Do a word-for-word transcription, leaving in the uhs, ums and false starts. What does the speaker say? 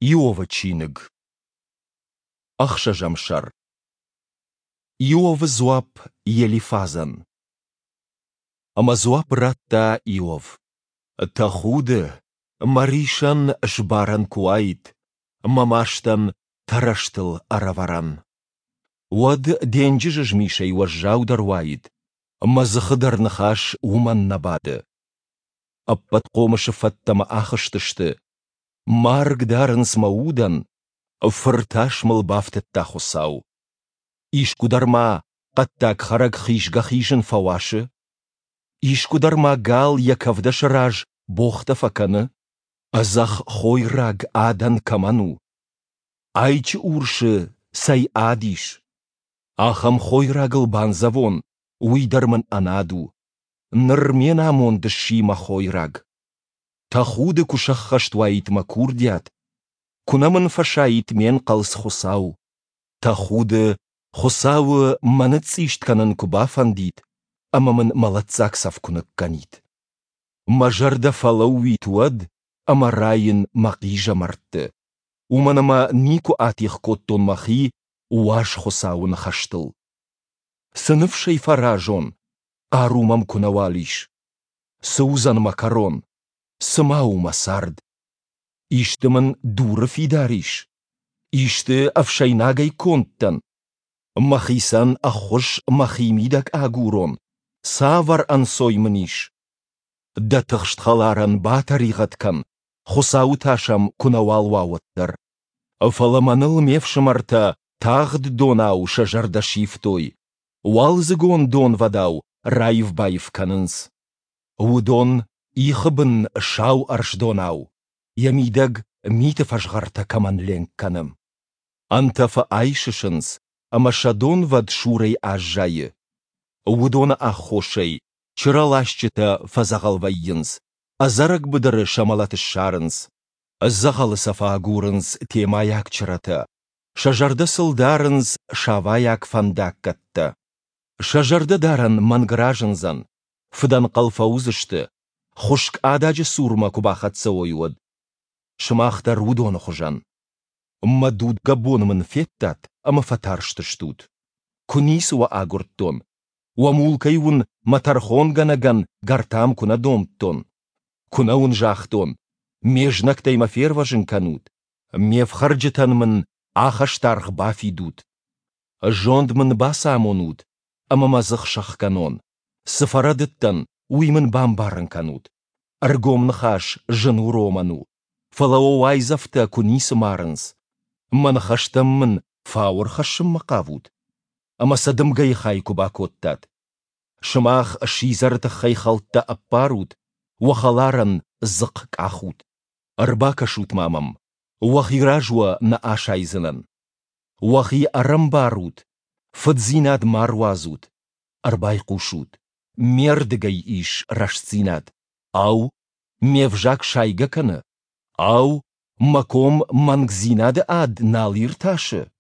Иовы чиныг. Ӕхсӕзӕм сӕр. Иовы дзуапп Елифазӕн. Ӕмӕ дзуапп радта Иов: Тӕхуды, мӕ рисӕн сбарӕн куы уаид, мӕ мастӕн тӕрӕзтыл ӕрӕвӕрӕн. Уӕд денджызы змисӕй уӕззаудӕр уаид, мӕ дзыхы дӕр ныхас уымӕн нӕ бады. Ӕппӕтхъомысы фӕттӕ мӕ ахызтысты, марг дарынц мӕ удӕн, фыр тас мыл бафтыдта Хуыцау. Искуыдӕр ма хъӕддаг хӕрӕг хизгӕ-хизын фӕуасы? Искуыдӕр ма гал йӕ кӕвдӕсы раз богътӕ фӕкӕны? Ӕдзӕхх хойраг адӕн кӕмӕн у? Айчы урсы цӕй ад ис? Ахӕм хойрагыл бандзӕвон, уый дӕр мын ӕнад у. Ныр ме намонд сси мӕ хойраг. Тӕхуды куы сӕххӕст уаид мӕ курдиат, куы нӕ мын фӕсаид ме нхъӕлц Хуыцау. Тӕхуды, Хуыцауы мӕ ныцъцъист кӕнын куы бафӕндид ӕмӕ мын мӕлӕтдзаг цӕф куы ныккӕнид. Мӕ зӕрдӕ фӕлӕууид уӕд ӕмӕ раин мӕ хъизӕмӕртты, уымӕн ӕмӕ никуы атигъ кодтон мӕхи уаз Хуыцауы ныхӕстыл. Цы ныфсӕй фӕразон, хъару мӕм куы нӕуал ис? Цы уыдзӕн мӕ кӕрон? Цы ма у мӕ цард? Исты мын дуры фидар ис? Исты ӕфсӕйнагӕй конд дӕн? Мӕхицӕн ӕххуыс мӕхимидӕг агурон, цавӕр ӕнцой мын ис? Дӕ тыхст хӕларӕн батӕригъӕд кӕн, Хуыцауы тас ӕм куы нӕуал уа, уӕддӕр. Фӕлӕ мӕныл ме фсымӕртӕ тагъд донау сӕ зӕрдӕ сивтой, уалдзыгон донвӕдау раив-баив кӕнынц. Уыдон ихы бын сау ӕрсдонау, йӕ мидӕг миты фӕзгъӕртӕ кӕмӕн ленк кӕны. Ӕнтӕфы айсысынц, ӕмӕ сӕ донвӕд сурӕй аззайы. Уыдоны аххосӕй чырӕласджытӕ фӕдзӕгъӕл вӕййынц, ӕдзӕрӕг быдыры сӕ мӕлӕт ссарынц. Дзӕгъӕлы сӕ фӕагурынц темӕйаг чырӕтӕ, сӕ зӕрдӕ сыл дарынц савайаг фӕндаггӕттӕ. Сӕ зӕрдӕдарӕн мӕнг разындзӕн, фыдӕнхъӕл фӕуыдзысты, хуыскъ ададжы цурмӕ куы бахӕццӕ уой, уӕд. Сымах дӕр уыдоны хуызӕн. Мӕ дудгӕ бон мын федтат ӕмӕ фӕтарстыстут. Куы ницы уӕ агуырдтон, уӕ мулкӕй уын мӕ тӕрхонгӕнӕгӕн гӕртам куы нӕ домдтон, куы нӕ уын загътон, ме знӕгтӕй мӕ фервӕзын кӕнут, ме фхӕрджытӕн мын ахӕстаргъ бафидут. Зонд мын бацамонут ӕмӕ мӕ дзых сӕхгӕнон. Цы фӕрӕдыдтӕн, уый мын бамбарын кӕнут. Ӕргом ныхас зын уромӕн у, фӕлӕ уӕ уайдзӕфтӕ куы ницы марынц. Мӕ ныхӕстӕм мын фау ӕрхӕссынмӕ хъавут? Ӕмӕ сӕ дымгӕйы хай куы бакодтат. Сымах сидзӕры тыххӕй хӕлттӕ ӕппарут, уӕ хӕларӕн дзыхъхъ къахут. Ӕрбакӕсут-ма мӕм, уӕхи раз уӕ нӕ асайдзынӕн. Уӕхи ӕрӕмбарут, фыддзинад ма руадзут. Ӕрбайхъусут, ме рдыгӕй ис рӕстдзинад. Ау, ме взаг сайгӕ кӕны? Ау, мӕ ком мӕнгдзинады ад нал иртасы?